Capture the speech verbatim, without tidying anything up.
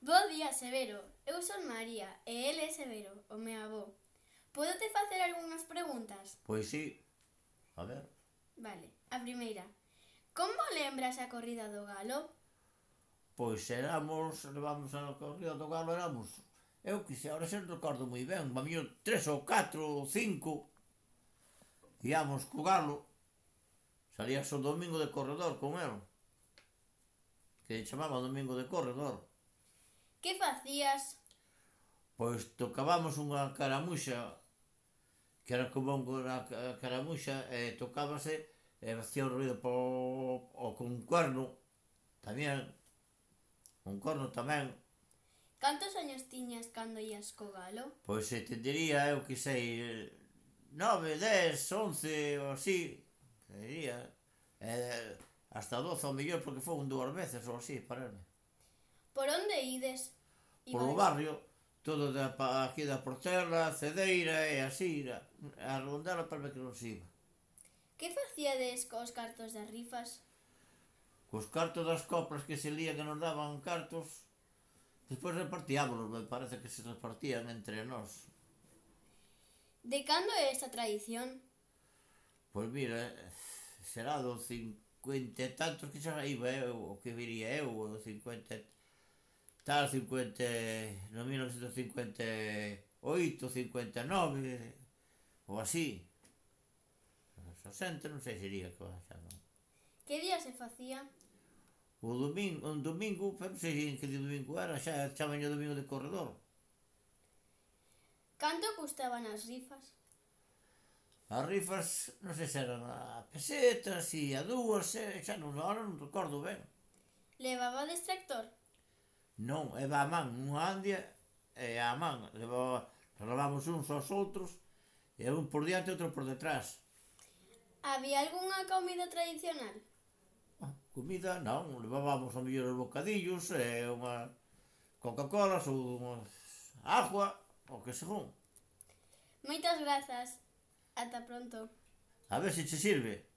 Bo día, Severo. Eu son María e el é Severo, o meu avó. Podo-te facer algunhas preguntas? Pois sí, a ver. Vale, a primeira. Como lembras a corrida do galo? Pois éramos, levamos a corrida do galo, éramos, eu que sei, ahora xa non recordo moi ben, a mí tres ou catro ou cinco, íamos co galo, salías o domingo de corredor con el, que chamaba domingo de corredor. Que facías? Pois tocábamos unha caramuxa, que era como unha caramuxa, e tocábase, e facía un ruido po, o con un cuerno, tamén, un corno tamén. Cantos años tiñas cando ías co galo? Pois se te diría, eu que sei, nove, dez, once ou así, te diría, eh, hasta doce ao mellor porque foi un dúas veces ou así, pararme. Por onde ides? Polo barrio, todo da, aquí da Portela, Cedeira e así, a rondela para ver que non se iba. Que facíades cos cartos das rifas? Cos cartos das coplas que se lía que nos daban cartos, despois repartíámonos, me parece que se repartían entre nós. De cando é esta tradición? Pois mira, será do cincuenta e tantos que xa iba eu, o que viría eu, o cincuenta tal, cincuenta, no mil novecientos cincuenta e oito, cincuenta e nove, ou así. sesenta non sei se iría, xa non. Que día se facía? O domingo, un domingo, pero non sei en que domingo era, xa chamaban o domingo de corredor. Canto custaban as rifas? As rifas, non sei se eran a peseta, si a dúas, xa non, agora non recordo ben. Levabades tractor? Non, eva a man, unha andia e a man, levaba, levamos uns aos outros, e un por diante e outro por detrás. Había algunha comida tradicional? Comida, non, levábamos ao mellor os bocadillos e unha Coca-Colas ou unha agua, o que según. Moitas grazas. Ata pronto. A ver se che sirve.